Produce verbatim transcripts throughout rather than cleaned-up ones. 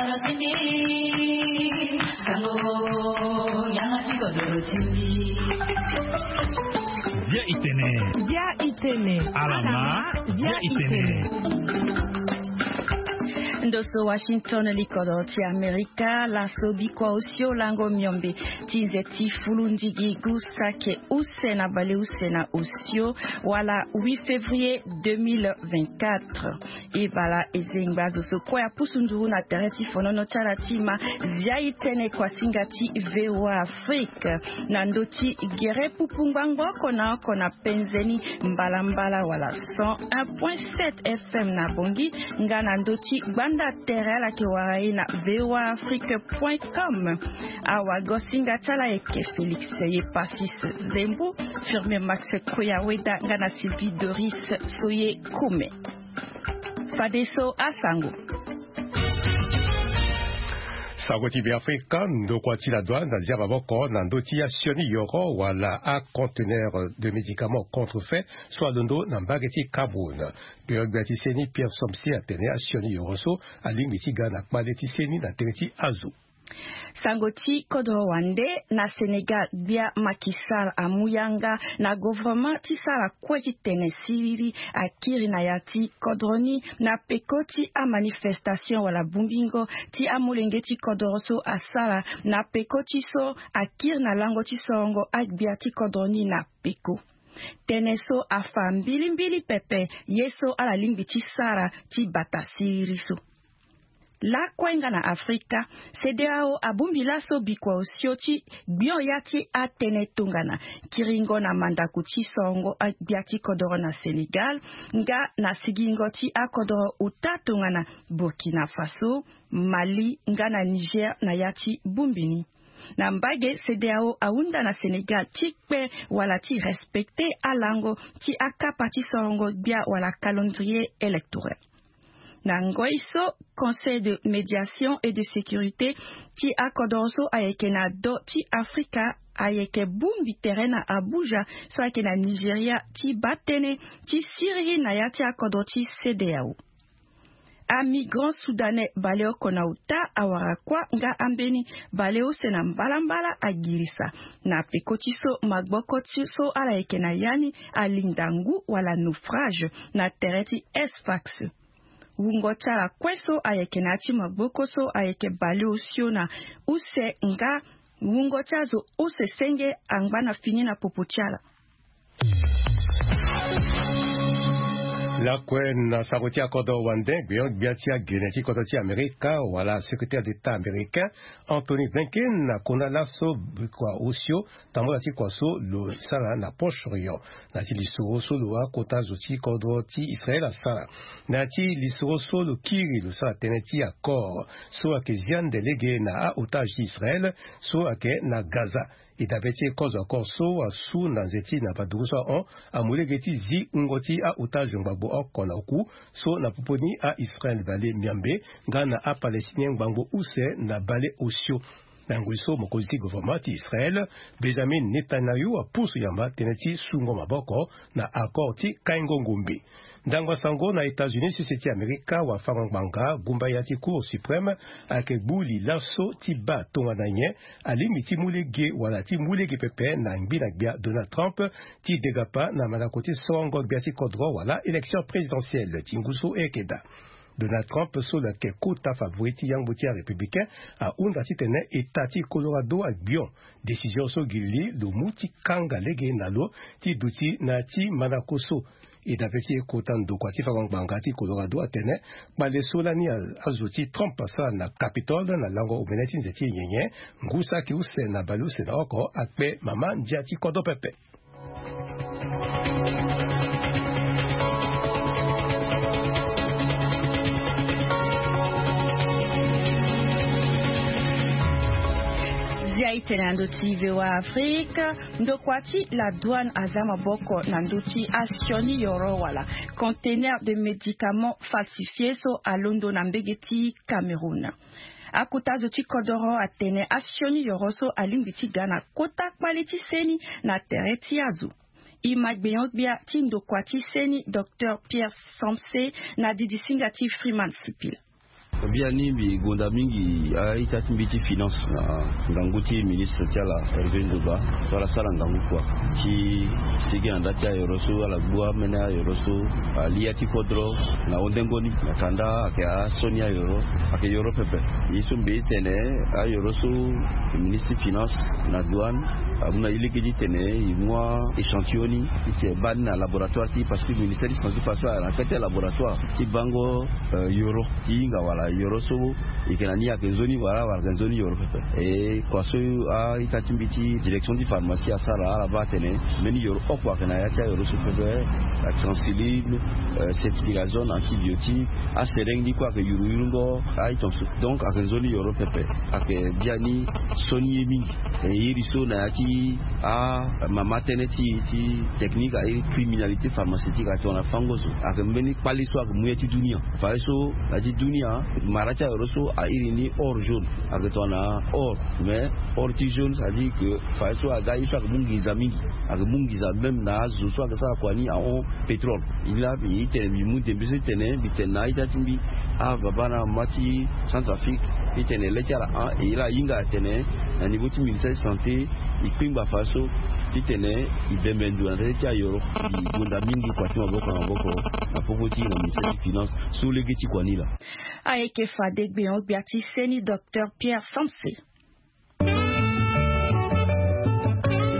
Bia itene. Bia itene. Alama. Bia itene. Ndo so Washington, likodro ti Amerika, laso bikua osio lango miombe ti nze ti fulu ndigi gu sake use na baleuse na osio, wala huit février deux mille vingt-quatre. E bala e zengba zo so kue apusu nduru na tere ti fonono ti ala ti ma. Zia e tene kuasinga ti V O A Afrique na ndö ti gere pupu ngbangbo oko na oko na penze ni mbalambala wala cent un point sept F M na Bangui, nga na ndö ti gbanda tere ala yeke wara e na V O A Afrique point com. Awagosinga ti ala ayeke Félix Ye Passis Zembu, Firmin Max Koya Weda nga na Sylvie Doris Soye Koume. Fadeso asango. Sango ti Beafrika, ndokua ti la douane azia maboko na ndö ti asioni yoro wala aconteneur de médicaments contrefaits so alondo na mbage ti Cameroun. Gbia ti seni Pierre Somse atene asioni yoro so alingbi ti ga na kpale ti seni na tere ti azo. Sango ti kodro wande na Sénégal, gbia Macky Sall amu yanga na gouvernement ti sara kue ti tene siriri akiri na ya ti kodro ni na peko ti amanifestation wala bongbingo ti amolenge ti kodro so asara na peko ti so akiri na lango ti sorongo agbia ti kodro ni na peko. Tënë so afa mbilimbili pepe ye so ala lingbi ti sara ti bata siriri so. Lakue nga na Afrika, CEDEAO abongbi laso bikua osio ti gbion ya ti atënë tongana kiringo na mandako ti sorongo agbia ti kodoro na Sénégal, nga na sigingo ti akodoro ota tongana Burkina Faso, Mali nga na Niger na ya ti bongbi ni. Na mbage, CEDEAO ahunda na Sénégal ti kpe wala ti respecter alango ti akapa ti sorongo gbia wala calendrier électoral. Na ngoi so, Conseil de médiation et de sécurité ti akodoro so ayeke na do ti Afrika ayeke bongbi tere na Abuja so ayeke na Nigeria ti baa tënë ti siriri na ya ti akodro ti CEDEAO. Amigrant soudanais baleoko na ota awara kuâ nga ambeni baleuse na mbalambala agirisa na peko ti so magboko ti so ala yeke na ya ni alinda ngu wala naufrage na tere ti Sfax. Wungo ti ala kue so ayeke na ya ti magboko so ayeke baleosio na use nga wungo ti azo use senge angba na fini na popo ti ala. Lakue na sango ti akodro wande, gbion gbia ti agene ti kodro ti Amerika wala secrétaire d'État américain Anthony Blinken akona laso bikua osio tambula ti kua so lo sara na Proche-Orient na ya ti lisoro so lo akota zo ti kodro ti Israël asara. Na ya ti lisoro so lo kiri lo sara tënë ti accord so ayeke zia nde lege na a-otage ti Israël so ayeke na Gaza. E dabe ti kozo accord so asu na nze ti na baduru so ahon amu lege ti zi wungo ti a-otage ngbangbo oko na oku so na popo ni a-Israël bale miambe nga na a-Palestinien ngbangbo use na bale osio. Na ngoi so mokonzi ti gouvernement ti Israël, Benjamin Netanyahu, apusu yamba tënë ti sungo maboko na accord ti kaingo ngombe. Ndangba sango na États-Unis, sese ti Amerika, wafango ngbanga gumba ya ti Cour suprême ayeke gbu li laso ti baa tongana nyen alingbi ti mu lege wala ti mu lege pepe na ngbi na gbia Donald Trump ti degapa na mandako ti sorongo gbia ti kodro wala élection présidentielle ti ngu so e yeke daa. Donald Trump so lo yeke kota favori ti yangbo ti arépublicain ahunda titene État ti Colorado agbion décision so gi li lo mu ti kanga lege na lo ti duti na ya ti mandako so. E dabe ti kota ndokua ti fango ngbanga ti Colorado atene kpale so lani a- azo ti Trump asara na Capitole na lango omene ti nze ti nyenye ngu saki use na baleuse na oko akpe mama ndia ti kodro pepe. Zia itene na ndö ti V O A Afrique, ndokua ti la douane aza maboko na ndö ti asioni yoro wala conteneur de médicaments falsifiés so alondo na mbege ti Cameroun. Akota zo ti kodoro atene asioni yoro so alingbi ti ga na kota kpale ti seni na tere ti azo. E ma gbenyo-gbia ti ndokua ti seni, Docteur Pierre Samse, na didisinga ti Freeman Sipila. Biani mbi gonda mingi a-ita ti mbi ti finance na ngangu ti ministre ti ala Hervé Ndioba, so ala sara ngangu kua ti sigi na nda ti ayoro so ala gbu amene ayoro so, ali ya ti kodro na hunde ngoni na kanda ayeke asioni ayoro, ayeke yoro pepe. Ye so mbi tene ayoro so ministre ti finance na douane amu na e lege ti tene e mu a-échantillon ni ti tene e baa ni na laboratoire ti e, parce que ministère ti santé faso ayeke na fete laboratoire ti bango yoro ti hinga wala yoro so e yeke na ni ayeke nzoni wala wala ayeke nzoni yoro pepe. E kua so a-ita ti mbi ti direction ti pharmacie asara ala baa atene mbeni yoro oko ayeke na ya ti ayoro so pepe, acétamipride, ceftriaxone, antibiotique, asereng ni kue ayeke yuru yurungo a-iton so. Donc ayeke nzoni yoro pepe. Ayeke biani sioni ye mingi. E iri so na ya ti amama tënë ti ti technique a iri criminalité pharmaceutique atongana fango zo. Ayeke mbeni kpale so ayeke mu ya ti dunia. Fadeso na ya ti dunia mara ti ayoro so a iri ni or jaune, ayeke tongana or. Mais or ti jaune, c'est-à-dire que fadeso aga ye so ayeke mu nginza mingi. Ayeke mu nginza même na azo so ayeke sara kua ni ahon pétrole. E laa mbi tene mbi mu ndembe so ti tene mbi tene na a-ita ti mbi, ababa na amama ti Centrafrique, ti tene le ti ala hon e laa ahinga atene na niveau ti ministère ti santé e kpengba fadeso ti tene e bembe ndo na ndali ti ayoro. E gonda mingi kua ti maboko na maboko na popo ti e na ministère ti finance so lege ti kua ni laa. Ayeke fade gbeon gbia ti seni docteur Pierre Samse. E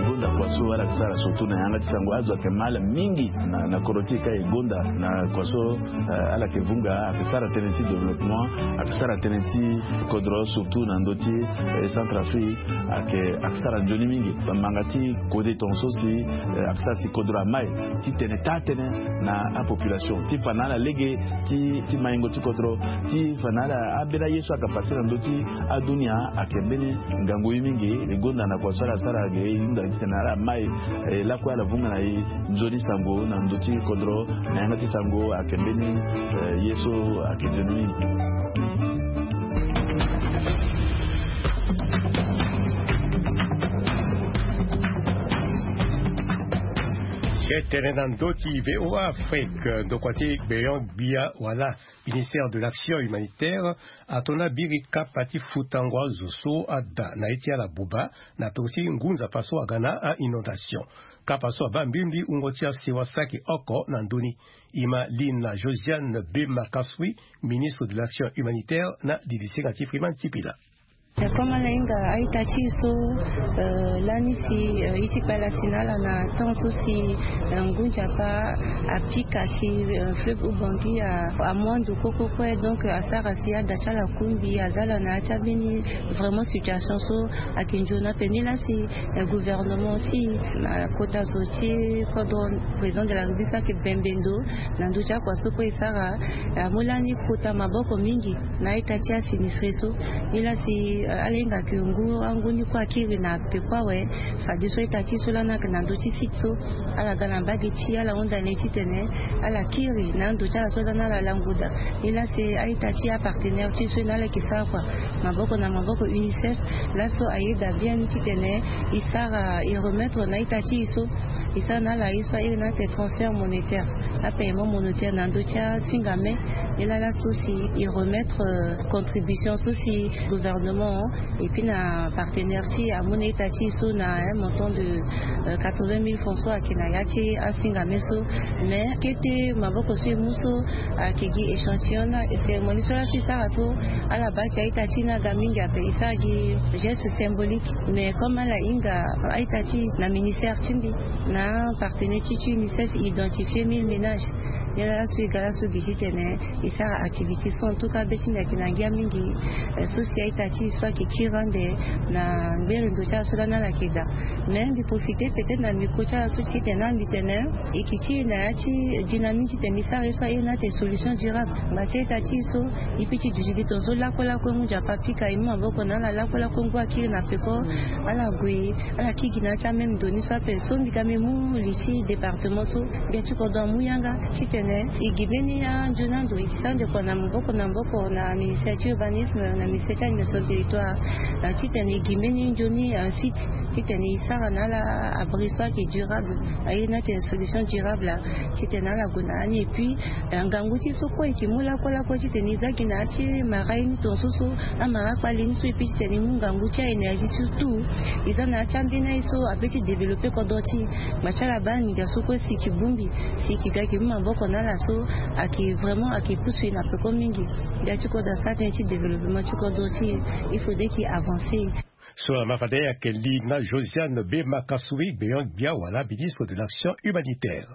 gonda kua so ala yeke sara surtout na yanga ti sango, azo ayeke mal mingi na na kodro ti e ka e gonda na kua so ala yeke vunga, ayeke sara tënë ti développement, ayeke sara tënë ti kodro surtout na ndö ti Centrafrique. Ayeke ayeke sara nzoni mingi. Manga ti kode tongaso si ayeke sara si kodro amai ti tene taa tënë na apopulation ti fa na ala lege ti maingo ti kodro, ti fa na ala ambeni aye so ayeke pase na ndö ti adunia. Ayeke mbeni ngangu ye mingi. E gonda na kua so ala sara ge e hunda ti tene ala mai lakue ala vunga na e nzoni sango na ndö ti kodro na yanga ti sango ayeke mbeni ye so ayeke nzoni mingi. Tene na ndö ti VOA Afrique, ndokua ti gbeon gbia wala ministère de l'action humanitaire ato na biri kapa ti futango azo so ada na ye ti ala buba na peko ti ngu nzapa so aga na a-inondation. Kapa so abaa mbirimbi wungo ti asewa saki oko na ndö ni. E ma li na Josiane Bema Kassoui, ministre de l'action humanitaire na didisinga ti Freeman Sipila. Comme ala hinga a-ita ti e so lani si e ti kpala si na ala na temps so si ngu nzapa apika si fleuve Oubangui amu ando kue kue kue, donc asara si ada ti ala kungbi aza ala na ya ti ambeni vraiment situation so ayeke nzoni ape. Nilaa si gouvernement ti e na kota zo ti kodro président de la République so ayeke bembe ndo na ndö ti akua so kue e sara amu lani kota maboko mingi na a-ita ti asinistre so. Nilaa si ala hinga ke ngu angu ni kue akiri na peko awe. Fadeso a-ita ti e so lani ayeke na ndö ti site so ala ga na mbage ti e ala hunda na e titene ala kiri na ando ti ala so lani ala lango daa. Nilaa si a-ita ti e apartenaire ti e so e na ala yeke sara kua maboko na maboko, UNICEF laso ayeda bien ni titene e sara e remettre na a-ita ti e so e sara na ala ye so a iri na ate transfert monétaire, apaiement monétaire na ndö ti asinga me. Nilaa laso si e remettre contribution so si gouvernement et puis na partenaire ti e amu na a-ita ti e so na un montant de quatre-vingt mille francs so ayeke na ya ti asinga me so. Mais kete maboko so e mu so ayeke gi échantillon na cérémonie so laso e sara so ala baa ke a-ita ti e ni aga mingi ape, e sara gi geste symbolique. Mais comme ala hinga a-ita ti e na ministère ti mbi na partenaire ti ti UNICEF e identifier mille ménages. Nilaa laso e ga laso gi titene e sara activité so en tout cas be ti mbi ayeke na ngia mingi. So si a-ita ti e so ayeke kiri ande na ngbere ndo ti ala so lani ala yeke daa. Mais mbi profiter peut-être na micro ti ala so titene mbi tene e yeke ti e na ya ti dynamique titene e sara ye so a iri na ate solution durable. Ngba ti a-ita ti e so e peut ti duti gi tongaso lakue lakue ngu nzapa apika e mu maboko na ala lakue lakue ngu akiri na peko ala gue ala kiri gi na ya ti amême ndo ni so ape. So mbi ga mbi mu li ti département so gbia ti kodro amu yanga titene e gi mbeni anzoni ando e sara ndekua na maboko na maboko na ministère ti urbanisme na ministère ti administration territoire titene e gi mbeni nzoni site Titene e sara na ala abri so ayeke durable, aye ni atene solution durable. Titene ala gue na ya ni et puis ngangu ti e so kue e ke mu lakue lakue titene e za gi na ya ti mara ye ni tongaso so amara akpali ni so et puis titene e mu ngangu ti a-énergie surtout e za na ya ti ambeni aye so ape ti développer kodro ti e. Ngbanga ti ala baa nginza so kue si e ke bongbi, si e ke ga e ke mu maboko na ala so ayeke vraiment ayeke pusu e na peko mingi. Nginza ti kodro asara tënë ti développement ti kodro ti e. Il faudrait ke e avancer. So amara de ayeke li na Josiane Bema Kassouri, gbenyo-gbia wala ministre de l'action humanitaire.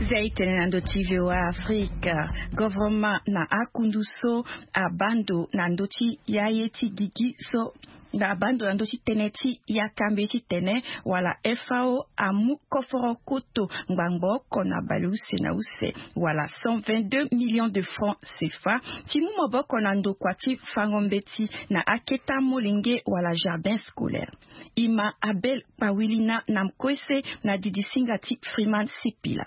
Zia e tene na ndö ti V O A Afrique. Govoroma na akundu so abaa ndo na ndö ti yaye ti gigi so na abaa ndo na ndö ti tënë ti yakambe titene wala F A O amu koforo koto ngbangbo oko na baleuse na use wala cent vingt-deux millions de francs C F A ti mu maboko na ndokua ti fango mbeti na akete amolenge wala jardin scolaire. Ima Abel Pawilina na Mkoese na didisinga ti Freeman Sipila.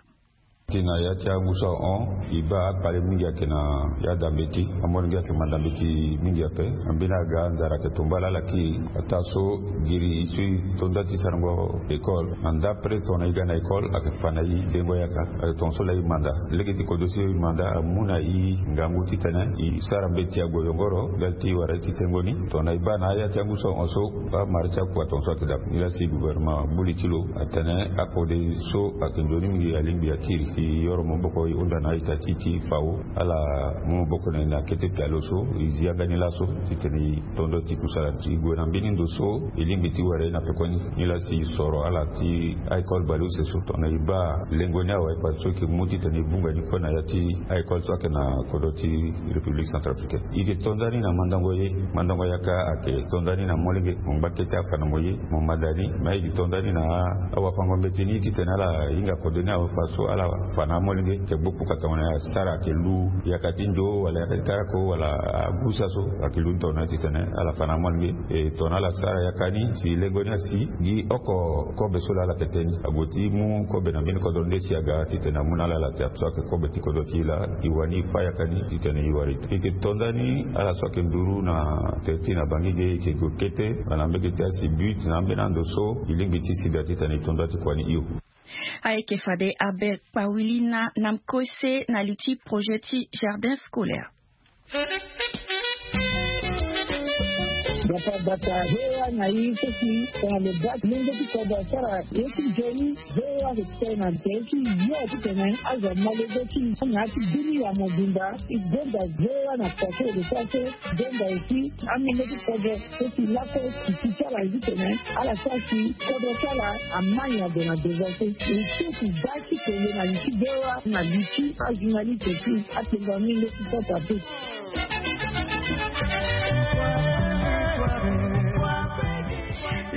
Ti na ya ti angu so ahon e baa akpale mingi ayeke na ya dambe ti amolenge ayeke manda mbeti mingi ape. Ambeni aga nzara ayeke tomba lala ki ataa so giri e so e to nda ti sarango école na ndapre tongana e ga na école ayeke fa na e dengo yaka. Ayeke tongaso laa e manda lege ti kodro so e manda amu na e ngangu titene e sara mbeti ague yongoro ndali ti wara ye ti tengo ni. Tongana e baa na aya ti angu so ahon so amara ti akua tongaso ayeke daa. Nilaa si gouvernement amu li ti lo atene akode so ayeke nzoni mingi alingbi akiri ti yoro maboko e hunda na a-ita ti e ti F A O ala mu maboko na e na kete pialo so e zi yanga ni laso titene e to ndo ti kusala ti gue na mbeni ndo so e lingbi ti wara ye na pekoni. Nilaa si e soro ala ti a-école baleuse so tongana e baa lengo ni awe parce que e ke mu titene e vunga ni kue na ya ti a-école so ayeke na kodro ti République centrafricaine. E ke to nda ni na mandango ye. Mandango yaka ayeke to nda ni na molenge. Mo ngba kete afa na mo ye mo manda ni. Me e ke to nda ni na awafango mbeti ni titene ala hinga kode ni awe fa so ala fa na amolenge. Ayeke gbu kpuka tongana asara ayeke lu yaka ti nzo wala yaka ti karako wala agusa so ayeke lu ni tongana titene ala fa na amolenge. E tongana ala sara yaka ni si lengo ni asi gi oko kobe so laa ala yeke te ni ague ti mu kobe na mbeni kodro nde si aga titene amu na ala ala ti ape so ayeke kobe ti kodro ti e laa e wani e fa yaka ni titene e wara e. E ke to nda ni ala so ayeke nduru na tere ti e na Bangui ge e ke gue kete wala na mbege ti asi but na ambeni ando so e lingbi ti si daa titene e to nda ti kua ni hio. Ayeke fade Abel Pawilina na Mkoese na li ti projet ti jardin scolaire. Gbata gbata V O A na e so si tongana lo baa lenge ti kodro asara ye ti nzoni. V O A ayeke tene na tere ti yo titene azo amolenge ti na ya ti bini ya mobimba. E gonda V O A na pase lo so ase gonda aussi amolenge ti kodro so si lakue titi ti ala ye titene ala sara si kodro ti ala amai na do na devant so. E so si baa ti kele na li ti V O A na li ti ajournaliste ti atengo amolenge ti kota pe.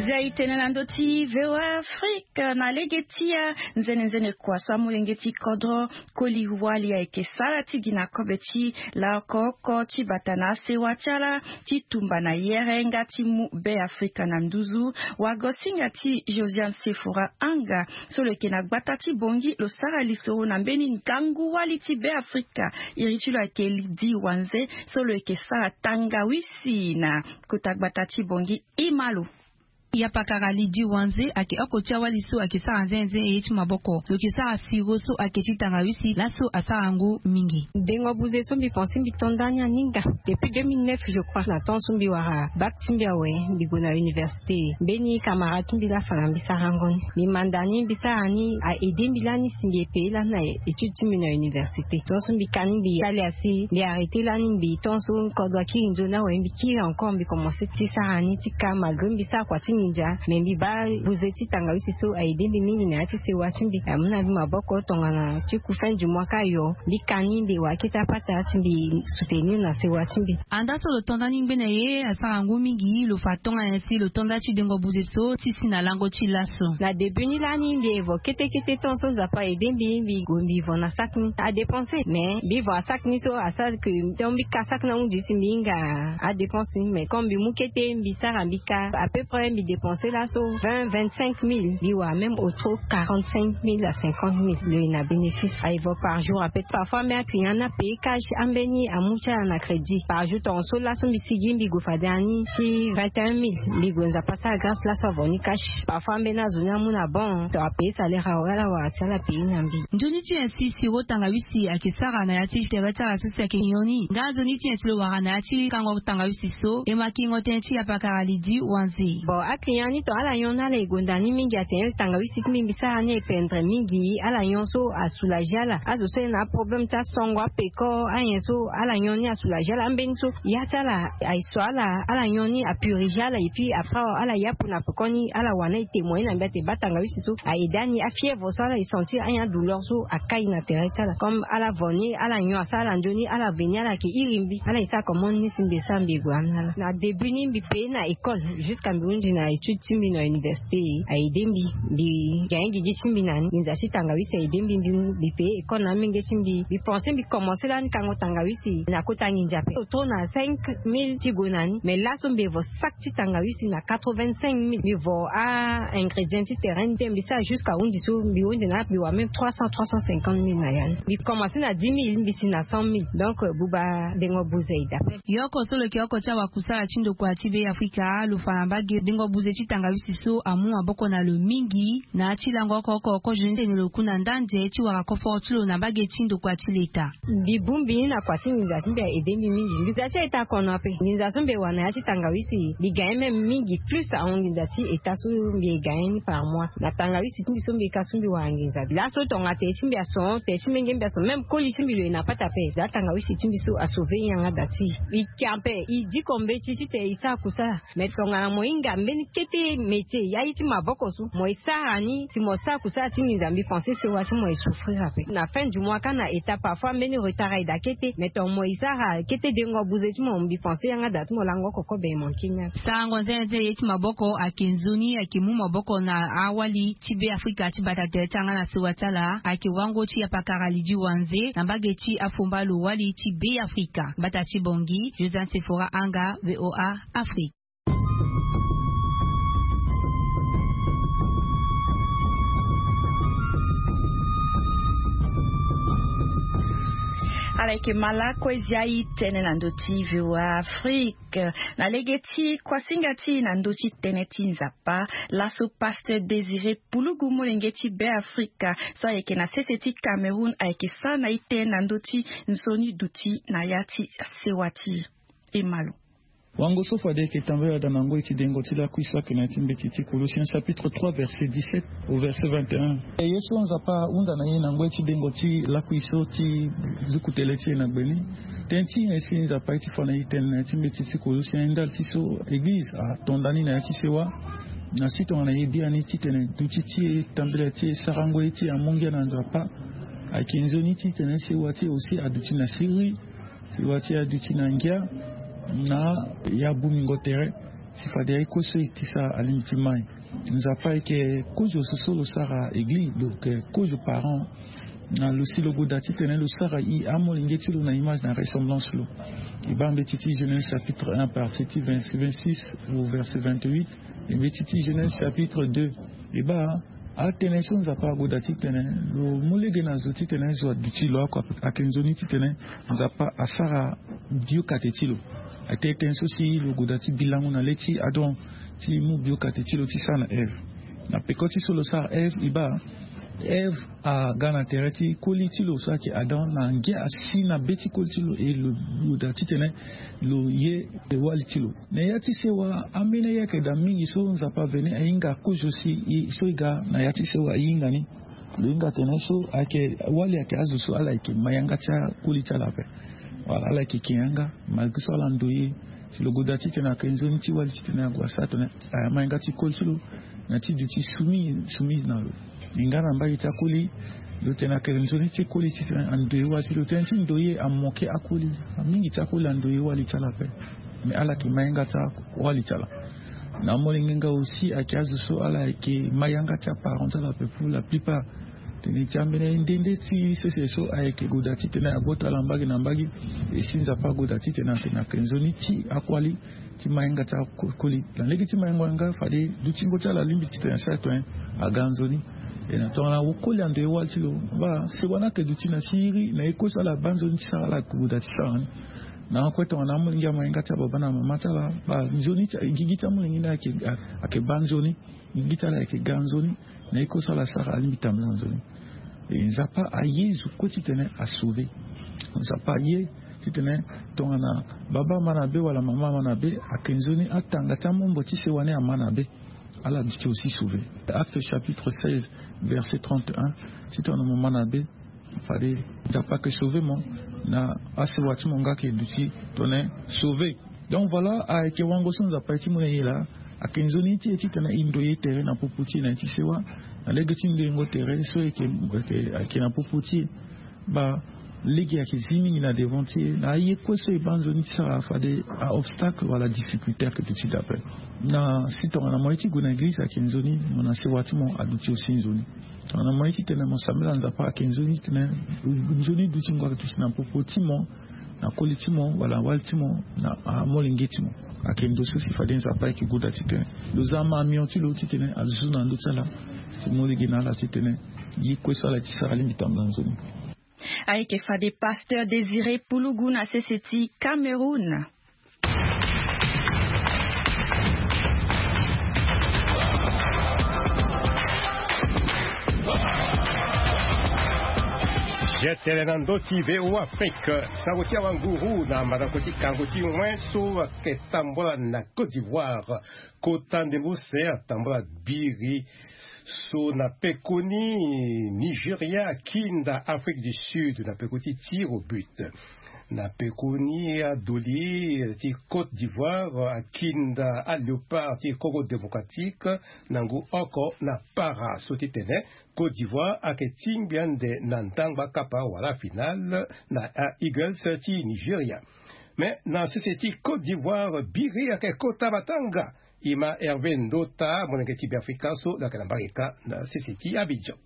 Zia e tene na ndö ti V O A Afrique na lege ti anzenenzene kua so amolenge ti kodro koli wali ayeke sara ti gi na kobe ti laoko oko ti bata na asewa ti ala ti tumba na yere nga ti mu Be Afrika na nduzu. Wagosinga ti Josiane Sefora Anga so lo yeke na gbata ti Bongi lo sara lisoro na mbeni ngangu wali ti Be Afrika. Iri ti lo ayeke Lidi Wanze so lo yeke sara tangawisi na kota gbata ti Bongi. Ima lo. Yapakara Lidi Wanze ayeke oko ti awali so ayeke sara nzenze ye ti maboko. Lo yeke sara siro so ayeke ti tangawisi laso asara ngu mingi. Dengo buze so mbi pense mbi to nda ni aninga depuis deux mille neuf je crois na temps so mbi wara bac ti mbi awe mbi gue na université. Mbeni camarade ti mbi laa afa na mbi sarango ni mbi manda ni mbi sara ni a aide mbi lani si mbi e paye lani na étude ti mbi na université. Temps so mbi ka ni mbi sali asi mbi arrêter lani mbi temps so kodro akiri nzoni awe mbi kiri encore mbi commencer ti sara ni ti ka malgré mbi sara kua ti nginza mais mbi baa buze ti tangawisi so a aide mbi mingi na ya ti sewa ti mbi amu na mbi maboko tongana ti ku fin du mois ka yo mbi ka ni mbi wara kete apata si mbi soutenir na sewa ti mbi. Anda so lo to nda ni ngbene ye asara ngu mingi lo fa tongana nyen si lo to nda ti dengo buze so ti si na lango ti laso. Na début ni lani mbi evo kete kete temps so Nzapa aide mbi mbi gue mbi vo na sac ni adépenser mais mbi vo na sac ni so asara ke donc mbi ka sac ni ahunzi si mbi hinga adépense ni mais comme mbi mu kete mbi sara mbi ka à peu près mbi Dépenser laso vingt, vingt-cinq mille, mbi wara même au trop quarante-cinq mille à cinquante mille. Lo ye na bénéfice, aye vo par jour ape. Parfois même aclient ni apaye cash, ambeni amu ti ala na crédit. Par jour tonga so laso mbi sigi mbi gue fade ani ti vingt et un mille, mbi gue Nzapa asara grâce laso avo ni cash. Parfois ambeni azo ni amu na bon to apaye salaire awe, ala wara si ala paye na mbi. Nzoni ti nyen si siro tangawisi ayeke sara na ya ti tere ti ala so si ayeke nyon ni? Nga nzoni ti nyen si lo wara na ya ti kango tangawisi so? E ma kingo tënë ti apakara Lydie Wanze. Bon, aclient ni tonga ala nyon ni, ala e gonda ni mingi, atene tangawisi ti mbi mbi sara ni e pendre mingi. Ala nyon so asoulager ala. Azo so e na aproblème ti asongo, apeko, anyen so ala nyon ni asoulager ala. Ambeni so ya ti ala aye so ala, ala nyon ni apuriger ala, et puis après ala yapu na pekoni, ala wara na e témoigner na mbi ate baa tangawisi so a aider ani. Afièvre so ala e sentir, anyen adouleur so akai na tere ti ala. Comme ala vo ni, ala nyon asara ala nzoni, ala veni ala yeke iri mbi, ala e sara comment ni si mbi e sara mbi e gue na ala. Na début ni mbi paye na école jusqu'à mbi hunzi na étude ti mbi na université. A aider mbi, mbi gagner gigi ti mbi na ni. Nginza ti tangawisi a aider mbi, mbi, mbi paye école na amenge ti mbi. Mbi pensé mbi commencer lani kango tangawisi na kota nginza ape, autour na cinq mille ti gue na ni. Mais laso mbi vo sac ti tangawisi na quatre-vingt-cinq mille. Mbi vo a ingrédients ti terrain ni te, mbi sara jusqu'à hunzi so mbi hunzi na mbi wara même trois cents, trois cent cinquante mille na ya ni. Mbi commencer na dix mille, mbi si na cent mille. Donc, euh, buba dengo buze i dape. Yoko so lo yeke oko ti awakusala ti ndokua ti Be Afrika, lo fa na mbage dengo buze ti tangawisi so amu maboko na lo mingi na ya ti lango oko oko kozo ni tene lo ku na ndanze ti wara koforo ti lo na mbage ti ndokua ti leta. Mbi bongbi ni na kua ti nginza ti mbi a aider mbi mingi. Nginza ti état akono ape. Nginza so mbi e wara na ya ti tangawisi, mbi gagner même mingi plus ahon nginza ti état so mbi e gagner ni par mois. Na tangawisi ti mbi so mbi e ka so mbi wara nginza. Laso tonga tere ti mbi ason, tere ti menge mbi ason, même koli ti mbi lo ye na pata ape. Za tangawisi ti mbi so a sauver yanga da ti. Mbi ke ape, i diko mbeti titene i sara kusala. Mais tongana mo hinga mbeni kete métier, ya ye ti maboko so mo e sara ni, si mo sara kusala ti nginza, mbi pensé sewa ti mo e souffrir ape. Na fin du mois ka na état, parfois mbeni retard aye daa kete, mais tongana mo e sara kete dengo buze ti mo, mbi pensé yanga da ti mo lango oko kobe e manqué ni ape. Sarango nzenze ye ti maboko ayeke nzoni, ayeke mu maboko na awali ti Be Afrika ti bata tere ti yanga na sewa ti ala, ayeke wango ti apakara Lydie Wanze na mbage ti afumba lo wali ti Be Afrika. Bata ti Bangui, Josiane Sephora Anga, V O A Afrique. Ala yeke ma lakue zia e tënë na ndö ti V O A Afrique. Na lege ti kuasinga ti e na ndö ti tënë ti Nzapa, laso Pasteur Désiré Pulugu, molenge ti Be Afrika, so ayeke na sese ti Cameroun, ayeke sara na e tënë na ndö ti nzoni duti na ya ti sewa ti e. E ma lo. Wango so fade e yeke tambela daa na ngoi ti dengo ti lakui so ayeke na ya ti mbeti ti Colossiens chapitre trois verset dix-sept au verset vingt et un. E ye so Nzapa ahunda na e na ngoi ti dengo ti lakui so ti zuku tele ti e na gbe ni. Tënë ti nyen si Nzapa aye ti fa na e tënë na ya ti mbeti ti Colossiens, ndali ti so eglize ato nda ni na ya ti sewa. Na si tongana e biani titene duti ti e, tambela ti e, sarango ye ti e amu ngia na Nzapa, ayeke nzoni titene sewa ti e aussi aduti na siriri. Sewa ti e aduti na ngia na ya bumingo tere. Si fade aye kue so e tisa alingbi ti mai. Nzapa ayeke kozo so so lo sara eglize, lo yeke kozo parent. Na lo si lo goda titene lo sara e amolenge ti lo na image na ressemblance lo. E baa mbeti ti Genèse chapitre un, partie ti vingt-six, vingt-six au verset vingt-huit. E mbeti ti Genèse chapitre deux. E baa atënë so Nzapa agoda titene lo mu lege na zo titene zo aduti lo oko, ayeke nzoni titene Nzapa asara biokate ti lo. Atene tënë so si lo goda ti bi lango na le ti Adam ti mu biokate ti lo ti sara na Ève. Na peko ti so lo sara Ève, e baa Ève aga na tere ti koli ti lo so ayeke Adam, na ngia asi na be ti koli ti lo, e lo goda titene lo ye wali ti lo. Na ya ti sewa, ambeni aye ayeke daa mingi so Nzapa aveni ahinga kozo si e, so e ga na ya ti sewa e hinga ni. Lo hinga tene so ayeke wali ayeke azo so ala yeke ma yanga ti akoli ti ala ape. Wala ala yeke ke yanga, malgré so ala ndoye. Si lo goda titene ayeke nzoni ti wali titene ague asara tene aya ma yanga ti koli ti lo, na ti duti soumise, soumise na lo. E nga na mbage ti akoli, lo tene ayeke nzoni ti koli titene andoye wali ti lo. Tënë ti ndoye amoke akoli. Amingi ti akoli andoye wali ti ala ape. Mais ala yeke ma yanga ti awali ti ala. Na amolenge nga aussi ayeke azo so ala yeke ma yanga ti aparent ti ala ape pour la plupart. Tene ti ambeni nde nde ti sese so ayeke goda titene ague tala mbage na mbage. E si Nzapa agoda titene atene ayeke nzoni ti akuali ti mainga ti akoli. Na lege ti maingo yanga fade dutingo ti ala alingbi titene asara tene aga nzoni. E na tongana akoli ando e wali ti lo, baa sewa ni ayeke duti na siriri na ye kue so ala baa nzoni ti sara, ala goda ti sara ni. Na akue tongana amolenge ya mainga ti ababa na mama ti ala, baa nzoni ti gigi ti amolenge ni ayeke, ayeke baa nzoni. Gigi ti ala ayeke ga nzoni. Na ye kue so ala sara alingbi tambula nzoni. E Nzapa aye zo kue titene asauve. Nzapa aye titene tongana baba ama na be wala mama ama na be, ayeke nzoni atanga ti amombo ti sewa ni ama na be. Ala duti aussi sauve. Acte chapitre seize, verset trente et un. Titene mo ma na be, fade Nzapa ayeke sauve mo. Na asewa ti mo nga ayeke duti titene sauve. Donc voilà, ayeke wango so Nzapa aye ti mo na e laa. Ayeke nzoni ti e titene e ndoye tere na popo ti e na ya ti sewa. Na lege ti ndoyengo tere so e yeke, e yeke, e yeke na popo ti e, baa lege ayeke zi mingi na devant ti e. Na aye kue so e baa nzoni ti sara fade a-obstacle wala difficulté ayeke duti d'après. Na si tongana mo ye ti gue na eglize ayeke nzoni, mo na sewa ti mo aduti aussi nzoni. Tongana mo ye titene mo sambela Nzapa ayeke nzoni titene nzoni dutingo ayeke duti na popo ti mo, na koli ti mo wala wali ti mo, na amolenge ti mo. Ayeke ndo so si fade Nzapa ayeke goda titene lo za ma mio ti lo titene azuzu na ndö ti ala. Ti mo lege na ala titene ye kue so ala ye ti sara alingbi tambula nzoni. Ayeke fade Pasteur Désiré Pulugu na sese ti Cameroun. Je tene na ndö ti V O A Afrique, sango ti awanguru na mandako ti kango ti wen so ayeke tambula na Côte d'Ivoire. Kota ndembo use atambula biri so na pekoni Nigeria akinda Afrique du Sud na peko ti tir au but. Na pekoni adoli ti Côte d'Ivoire akinda aLéopard ti Congo Démocratique na ngu oko na para. So ti tene Côte d'Ivoire ayeke tingbi ande na ndangba kapa wala finale na aEagles ti Nigeria. Mais na sese ti Côte d'Ivoire biri ayeke kota matanga. E ma Hervé Ndota, molenge ti Beafrika so lo yeke na mbage kâ na sese ti Abidjan.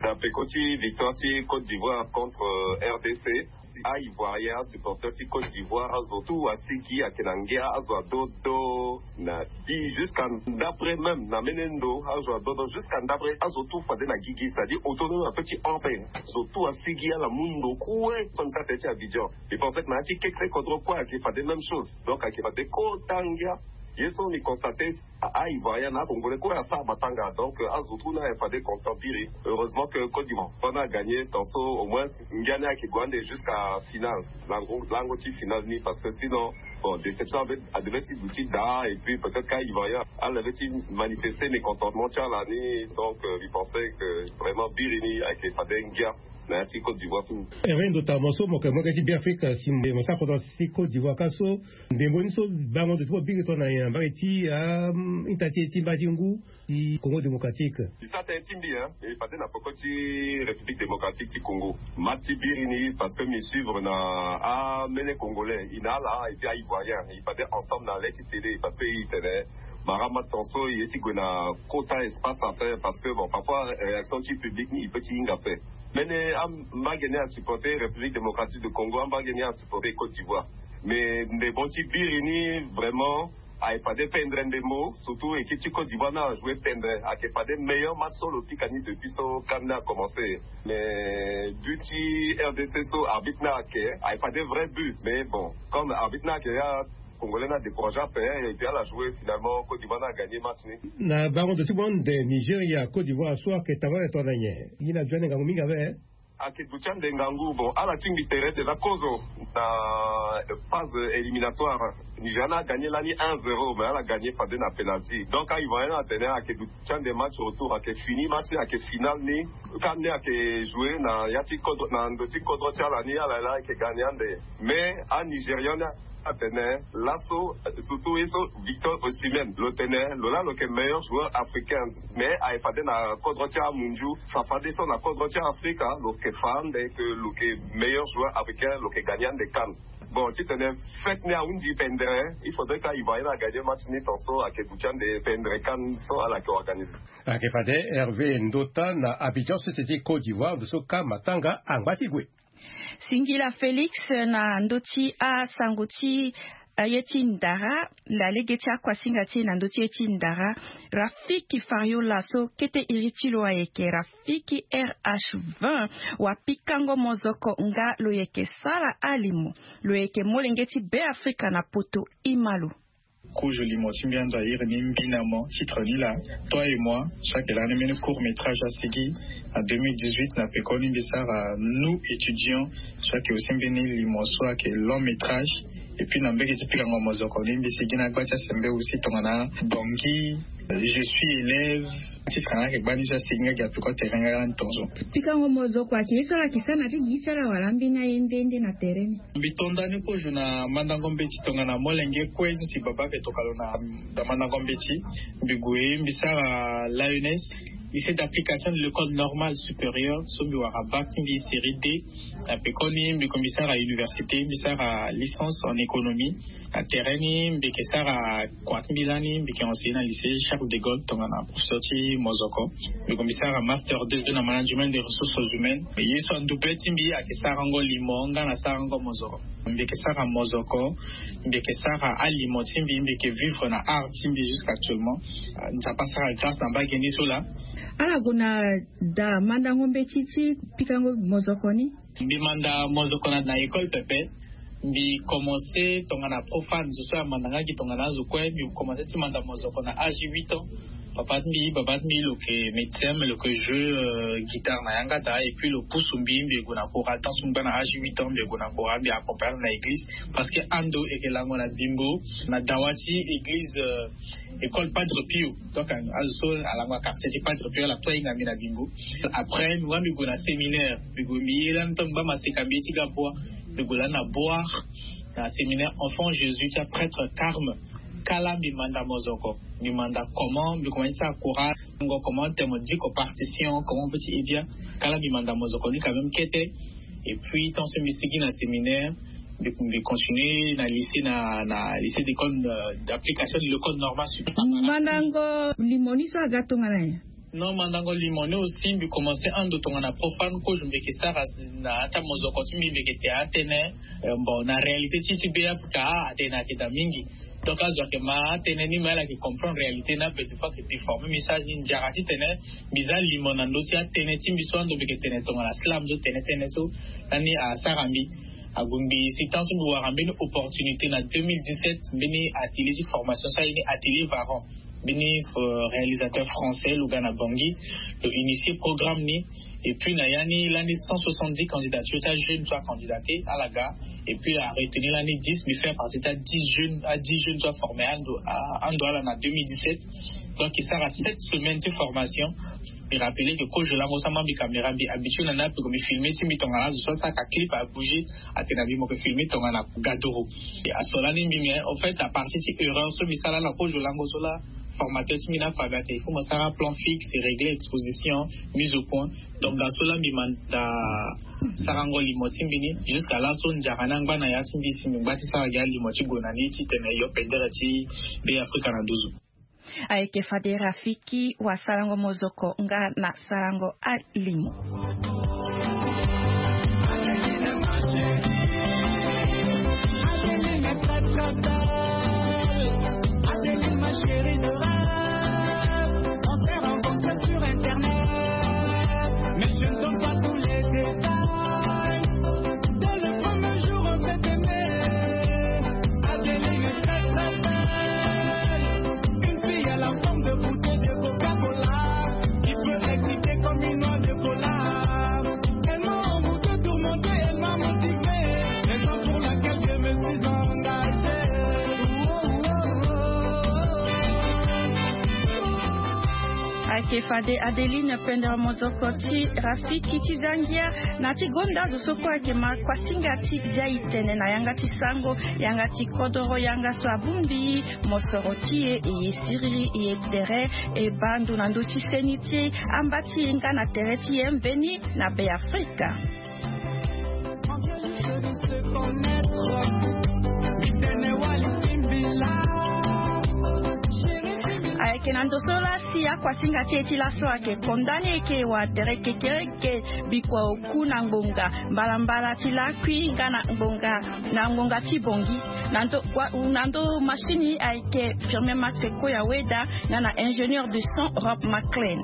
Na peko ti victoire ti Côte d'Ivoire contre, euh, R D C, a-Ivoirien, asupporter ti Côte d'Ivoire, azo tout asigi, ayeke na ngia, azo adodo na bi jusqu'à ndapre même, na mene ndo, azo adodo jusqu'à ndapre, azo tout fade na gigi, c'est-à-dire autour même un petit orbe. Azo tout asigi, ala mu ndo kue, comme ça, ti Abidjan. Mbi pense que na ya ti kekre kodro kue ayeke fade même chose. Donc ayeke fade kota ngia. Ye so mbi constate, a-Ivoirien na a-Congolais kue asara matanga. Donc, euh, azo tout ni ayeke fade content biri. Heureusement que Côte d'Ivoire ni agagné, tant so au moins ngia ni ayeke gue ande jusqu'à finale. Lango, lango ti finale ni, parce que sinon, bon, déception avait, adevait ti duti daa, et puis peut-être qu'Ivoirien, ala devait ti manifester mécontentement ti ala ni. Donc, euh, mbi pensais que vraiment biri ni ayeke fade ngia na ya ti Côte d'Ivoire tout. Hervé Ndota, mo so mo yeke molenge ti Beafrika, si mo sara kodro ti Côte d'Ivoire kâ so, ndembo ni so bango ndo ti mo biri tongana nyen na mbage ti, ah, ita ti e ti mba ti ngu ti Congo Démocratique? E sara tënë ti mbi, hein, e fade na peko ti République Démocratique ti Congo. Match ti biri ni, parce que mbi suivre na amene Congolais, e na ala, et puis a-Ivoirien, e fade ensemble na le ti télé, parce que e tene Marama, tant so e ye ti gue na kota espace ape, parce que bon, parfois réaction ti public ni e peut ti hinga ape. Mene ambage ni asupporter République Démocratique de Congo, ambage ni asupporter Côte d'Ivoire. Mais ndembo ti biri ni vraiment ayeke fade tendre ndembo, surtout équipe ti Côte d'Ivoire ni ajoue tendre, ayeke fade meilleur match so lo pika ni depuis so CAN ni acommencer. Mais but ti R D C so arbitre ni ayeke, ayeke fade vrai but, mais bon, comme arbitre ni ayeke ya, Congolais ni adécouragé ape, et puis ala joué finalement, Côte d'Ivoire ni agagné match ni. Na bango ndo ti mo ande Nigeria Côte d'Ivoire so ayeke tambula tongana nyen? Ye ni aduti ande ngangu mingi awe. Ayeke duti ande ngangu, bon, ala tingbi tere déjà kozo na phase éliminatoire. Nigeria ni agagné lani un zéro, mais ala gagné fade na penalty. Donc a-Ivoirien ni atene ayeke duti ande match retour, ayeke fini match, ayeke finale ni. CAN ni ayeke joué na ya ti kodro, na ndo ti kodro ti ala ni, ala laa ayeke gagné ande. Mais a-Nigérian ni atene laso, surtout ye so Victor Osimhen, lo tene lo laa lo yeke meilleur joueur africain. Mais ayeke fade na kodro ti amunzu, fa fadeso na kodro ti Afrika lo yeke fa ande que lo yeke meilleur joueur africain, lo yeke gagné ande CAN. Bon, titene fête ni ahunzi pendere, il faudrait que Ivoirien agagner match ni ton so ake gu ti ande pendere kan so ala ke organiser. Ake fade Hervé Ndota na Abidjan, société Côte d'Ivoire, ndo so ka matanga angba ti gue. Singila Félix na ndö ti asango ti aye ti ndara. Na lege ti akuasinga ti e na ndö ti ye ti ndara, Rafiki Fariola so kete iri ti lo ayeke Rafiki R H vingt, wapikango mozoko nga lo yeke sara alimo, lo yeke molenge ti Beafrika na poto. Ima lo. Kozo limo ti mbi ando a iri ni Mbinamo, titre ni laa. Toi et moi, so ayeke lani mbeni court métrage asigi na deux mille dix-huit na pekoni mbi sara Nous étudiants, so ayeke aussi mbeni limo so ayeke long métrage. Et puis na mbege ti pikango mozoko ni mbi sigi na gba ti asembe aussi tongana Bongi, Je suis élève. Titre nga ayeke gbani so asigi nga gi apeko tere nga lani tongaso. Pikango mozoko ayeke ye so ala yeke sara na ti gigi ti ala wala ambeni aye nde nde na tere ni? Mbi to ndani kozo na mandango mbeti tongana molenge kue so si baba ayeke toka lo na, na mandango mbeti. Mbi gue mbi sara l'A N S, lycée d'application de l'école normale supérieure, so mbi wara bac ti mbi série D. Na pekoni mbi gue mbi sara université, mbi sara licence en économie. Na tere ni mbi yeke sara kua ti mbi lani, mbi yeke enseigner na lycée Charles de Gaulle tongana professeur ti mozoko. Mbi gue mbi sara master deux na management des ressources humaines. Ye so ando be ti mbi ayeke sarango limo nga na sarango mozoko. Mbi yeke sara mozoko, mbi yeke sara alimo ti mbi, mbi yeke vivre na art ti mbi jusqu'actuellement. Ah, Nzapa asara grâce na mbage ni so laa. Ala gue na daa mandango mbeti ti pikango mozoko ni? Mbi manda mozoko na, na école pepe. Mbi commencé tongana profane, zo so amanda nga gi tongana azo kue. Mbi commencé ti manda mozoko na âge huit ans. Papa ti mbi, baba ti mbi lo yeke médecin, mais lo yeke jouer, euh, guitare na yanga daa. Et puis lo pusu mbi, mbi gue na kora. Tant so mbi baa na âge huit ans, mbi gue na kora, mbi accompagner na église. Parce que ando eke lango na bimbo na dawa ti église, euh, école Padre Pio. Donc azo so alango na quartier ti Padre Pio, ala to ahinga mbi na bimbo. Après mbi wara mbi gue na séminaire. Mbi gue mbi ye lani, tant mbi baa maseka mbi ye ti ga bois. Mbi gue lani na Boar, na séminaire Enfant Jésus ti aprêtre Carme. Kala mbi manda mozoko. Mbi manda comment mbi commencé ti sara kora, ngo comment temo diko partition, comment petit et bien. Kala mbi manda mozoko ni quand même kete. Et puis tant so mbi sigi na séminaire, mbi, mbi continuer na lycée, na, na lycée d'école, euh, d'application de l'école normale supérieure. Mandango limo ni so aga tongana nyen? Non, mandango limo ni aussi mbi commencé ando tongana profane kozo. Mbi yeke sara na ya ti amozoko ti mbi, mbi yeke te atene, euh, bon, na réalité ti, ti Beafrika, ah, atene ayeke daa mingi. Donc azo ayeke ma atene ni, mais ala yeke comprendre réalité ni ape. Des fois ayeke déformer message ni. Nzara titene mbi za limo na ndö ti atene ti mbi so ando mbi yeke tene tongana slam so tene tënë so lani asara mbi. Ague mbi si tant so mbi wara mbeni opportunité na deux mille dix-sept, mbeni atelier ti formation so aye ni atelier Varan. Mbeni, euh, réalisateur français lo ga na Bangui, lo initier programme ni. Et puis na ya ni lani cent soixante-dix candidatures ti ajeunes so acandidaté, ala ga. Et puis aretenir lani dix, mbi faire partie ti adix jeunes, adix jeunes so aformer ando, a, ando ala na deux mille dix-sept. Donc e sara sept semaines ti formation. Mbi rappeler que kozo lango so ama mbi caméra, mbi habitué na ni ape ko mbi filmer ti mbi tongana azo so asara clip abouger, atene na mbi mo yeke filmer tongana gadoro. E aso lani mbi, mais en fait à partir ti erreur so mbi sara na kozo lango so laa, formateur ti mbi ni afa mbi atene il faut mo sara plan fixe, régler exposition, mise au point. Donc na so laa mbi manda sarango limo ti mbi ni. Jusqu'à laso nzara ni angba na ya ti mbi si mbi ngba ti sara gi alimo ti gue na ni titene yo pendere ti Beafrika na nduzu. Ayeke fade Rafiki wasarango mozoko nga na sarango alimo. Ayeke fade Adeline pendere mozoko ti Rafiki ti zangia na ti gonda azo so kue ayeke ma kuasinga ti zia e tene na yanga ti sango, yanga ti kodoro, yanga so abongbi mosoro ti e, e ye siriri, e ye tere, e baa ndo na ndö ti seni ti e, amba ti e nga na tere ti e mbeni na Beafrika. Ayeke na ndo so laa si akuasinga ti e ti laso ayeke konda ni eke wa tere kekereke bikua oku na ngbonga mbalambala ti lakui nga na ngbonga na ngbonga ti bongi. Na ndo wa- na ndo machine ayeke firme max ekoya weda nga na ingénieur de son Rob McLean.